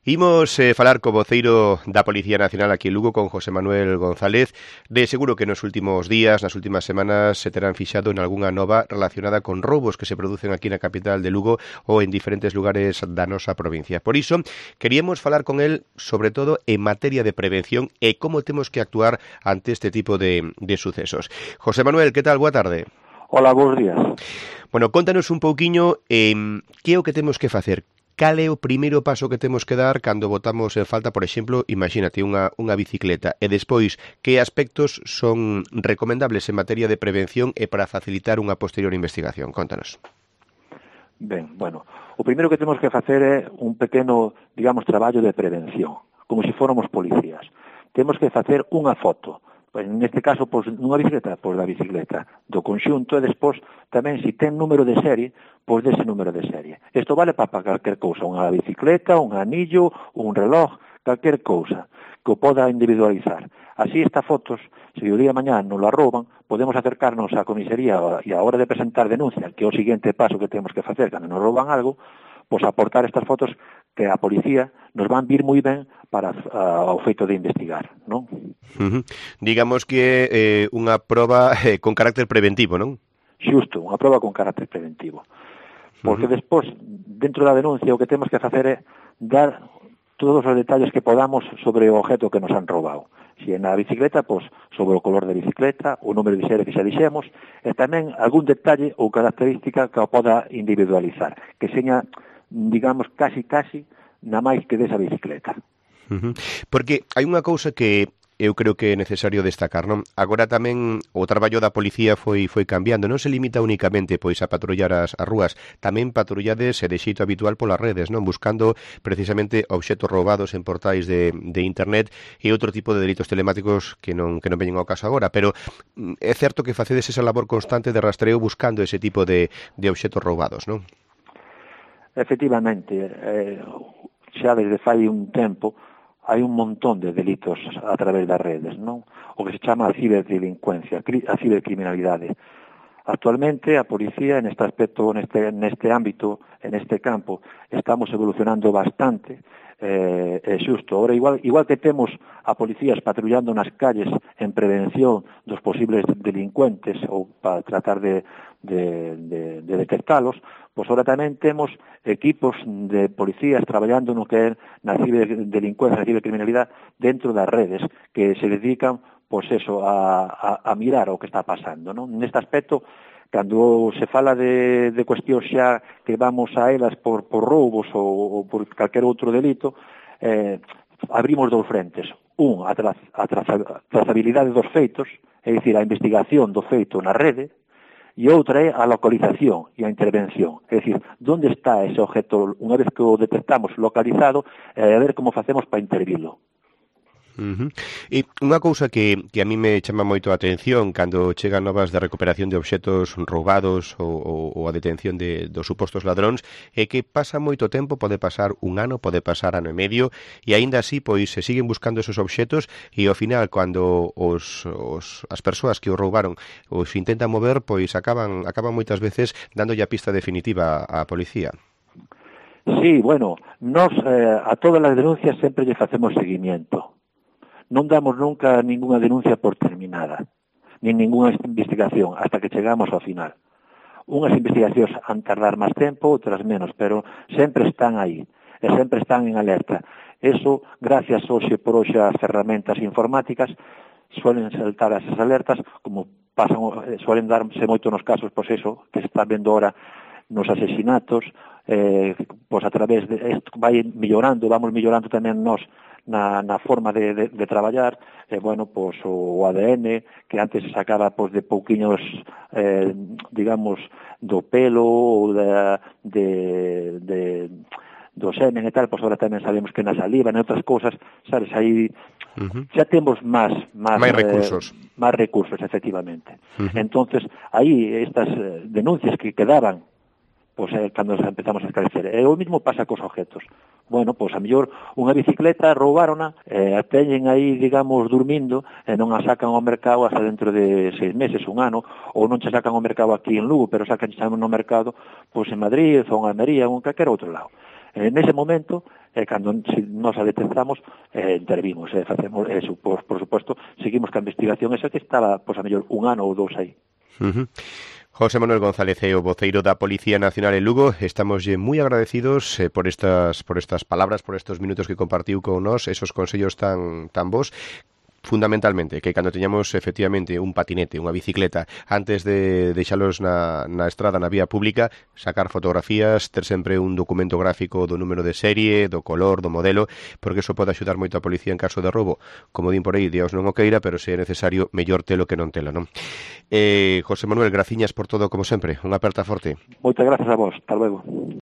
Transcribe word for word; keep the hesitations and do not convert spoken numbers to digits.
Imos eh, falar co voceiro da Policía Nacional aquí en Lugo, con José Manuel González. De seguro que nos últimos días, nas últimas semanas, se terán fixado en algunha nova relacionada con roubos que se producen aquí na capital de Lugo ou en diferentes lugares da nosa provincia. Por iso, queríamos falar con el, sobre todo, en materia de prevención e como temos que actuar ante este tipo de, de sucesos. José Manuel, que tal? Boa tarde. Hola, bons días. Bueno, contanos un pouquiño eh, que é o que temos que facer. Cal é o primeiro paso que temos que dar cando botamos en falta, por exemplo, imagínate, unha, unha bicicleta, e despois, que aspectos son recomendables en materia de prevención e para facilitar unha posterior investigación? Contanos. Ben, bueno, o primeiro que temos que facer é un pequeno, digamos, traballo de prevención, como se fóramos policías. Temos que facer unha foto, en este caso, pois, nunha bicicleta, pois da bicicleta, do conxunto, e despois, tamén, se ten número de serie, pois dese número de serie. Isto vale para calquer cousa, unha bicicleta, un anillo, un reloj, calquer cousa, que o poda individualizar. Así, estas fotos, se o día de mañá non la rouban, podemos acercarnos á comisaría e a hora de presentar denuncia, que é o seguinte paso que temos que facer cando nos rouban algo, pois aportar estas fotos que a policía nos van vir moi ben para uh, o feito de investigar, non? Uh-huh. Digamos que é eh, unha proba eh, con carácter preventivo, non? Xusto, unha proba con carácter preventivo. Porque uh-huh. despois, dentro da denuncia, o que temos que facer é dar todos os detalles que podamos sobre o objeto que nos han roubado. Se é na bicicleta, pois, sobre o color da bicicleta, o número de serie que xa dixemos, e tamén algún detalle ou característica que o poda individualizar, que seña, digamos, casi, casi, na máis que desa bicicleta. Uh-huh. Porque hai unha cousa que eu creo que é necesario destacar, non? Agora tamén o traballo da policía foi foi cambiando, non se limita únicamente pois a patrullar as, as rúas, tamén patrullades e de xeito habitual polas redes, non? Buscando precisamente obxetos roubados en portais de, de internet e outro tipo de delitos telemáticos que non que non veñen ao caso agora, pero é certo que facedes esa labor constante de rastreo buscando ese tipo de, de obxetos roubados, non? Efectivamente, eh, xa desde fai un tempo hai un montón de delitos a través das redes, non? O que se chama a ciberdelincuencia, a cibercriminalidade. Actualmente, a policía, neste aspecto, neste, neste ámbito, en este campo, estamos evolucionando bastante, eh, é xusto. Ahora, igual, igual que temos a policías patrullando nas calles en prevención dos posibles delincuentes ou para tratar de, de, de, de detectalos, pois ahora tamén temos equipos de policías traballando no que é na ciberdelincuencia, na cibercriminalidade dentro das redes, que se dedican, pois eso, a, a, a mirar o que está pasando, non? Neste aspecto, cando se fala de, de cuestións xa que vamos a elas por, por roubos ou, ou por calquer outro delito, eh, abrimos dous frentes. Un, a, tra, a traza, trazabilidade dos feitos, é dicir, a investigación do feito na rede, e outra é a localización e a intervención. É dicir, onde está ese objeto unha vez que o detectamos localizado, e a ver como facemos para intervilo. Uh-huh. E unha cousa que, que a mí me chama moito a atención cando chegan novas de recuperación de obxetos roubados ou, ou, ou a detención de, dos supostos ladróns é que pasa moito tempo, pode pasar un ano, pode pasar ano e medio e aínda así pois se siguen buscando esos obxetos e ao final cando os, os, as persoas que os roubaron os intentan mover pois acaban, acaban moitas veces dándolle a pista definitiva á policía. Sí, bueno, nos eh, a todas as denuncias sempre lle facemos seguimiento. Non damos nunca ninguna denuncia por terminada, nin ninguna investigación, hasta que chegamos ao final. Unhas investigacións han tardar máis tempo, outras menos, pero sempre están aí, e sempre están en alerta. Eso, gracias hoxe por hoxe ás ferramentas informáticas, suelen saltar esas alertas, como pasan, suelen darse moito nos casos, pois eso, que se está vendo ahora nos asesinatos, eh, pois a través de, vai mellorando, vamos mellorando tamén nós, Na, na forma de, de, de traballar, eh, bueno, pois o A D N, que antes se sacaba pois, de pouquiños, eh, digamos, do pelo ou de, de, de, do semen e tal, pois agora tamén sabemos que na saliva, en outras cousas, sabes, aí uh-huh. xa temos máis máis recursos. Eh, máis recursos, efectivamente. Uh-huh. Entonces, aí estas denuncias que quedaban, pois é cando empezamos a esclarecer. E o mismo pasa cos objetos. Bueno, pois a mellor unha bicicleta roubárona, eh, a teñen aí, digamos, dormindo, e non a sacan ao mercado hasta dentro de seis meses, un ano, ou non se sacan ao mercado aquí en Lugo, pero sacan xa no mercado, pois en Madrid, ou en Almería, ou en calquer outro lado. En ese momento, eh, cando si nos a detectamos, eh, intervimos, eh, facemos, eh, por, por suposto, seguimos ca investigación esa que estaba, pois, a mellor, un ano ou dous aí. Uh-huh. José Manuel González, é o voceiro da Policía Nacional en Lugo. Estamos moi agradecidos eh, por estas por estas palabras, por estos minutos que compartiu con nós, esos consellos tan tan bons. Fundamentalmente, que cando teñamos efectivamente un patinete, unha bicicleta, antes de deixalos na, na estrada, na vía pública, sacar fotografías, ter sempre un documento gráfico do número de serie, do color, do modelo, porque eso pode axudar moito a policía en caso de roubo. Como din por aí, Dios non o queira, pero se é necesario, mellor telo que non telo, non? Eh, José Manuel, graciñas por todo, como sempre. Unha aperta forte. Moitas grazas a vos. Hasta luego.